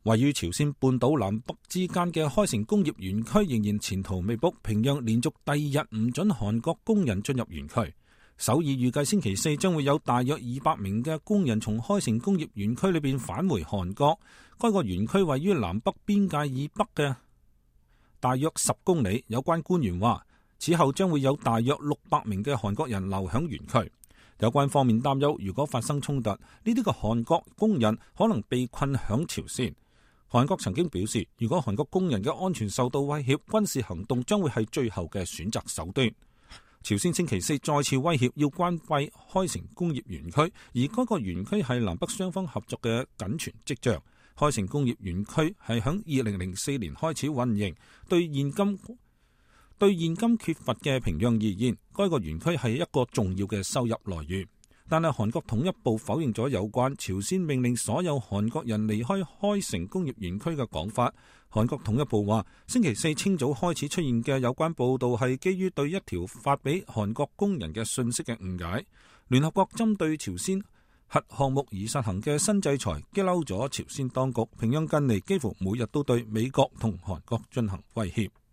位於朝鮮半島南北之間嘅開城工業園區仍然前途未卜，平壤連續第二日唔准韓國工人進入園區。首爾預計星期四將會有大約200名嘅工人從開城工業園區裏邊返回韓國。該個園區位於南北邊界以北嘅大約10公里。有關官員話，此後將會有大約600名嘅韓國人留響園區。有關方面擔憂，如果發生衝突，呢啲嘅韓國工人可能被困響朝鮮。韓國曾經表示，如果韓國工人嘅安全受到威脅，軍事行動將會係最後嘅選擇手段。朝鮮星期四再次威脅要關閉開城工業園區，而該個園區係南北雙方合作嘅僅存跡象。開城工業園區係響2004年開始運營，對現今缺乏嘅平壤而言，該個園區係一個重要嘅收入來源。但係韓國統一部否認咗有關朝鮮命令所有韓國人離開開城工業園區嘅講法。韓國統一部話，星期四清早開始出現嘅有關報道係基於對一條發俾韓國工人嘅信息嘅誤解。聯合國針對朝鮮核項目而實行嘅新制裁激嬲咗朝鮮當局。平壤近嚟幾乎每日都對美國同韓國進行威脅。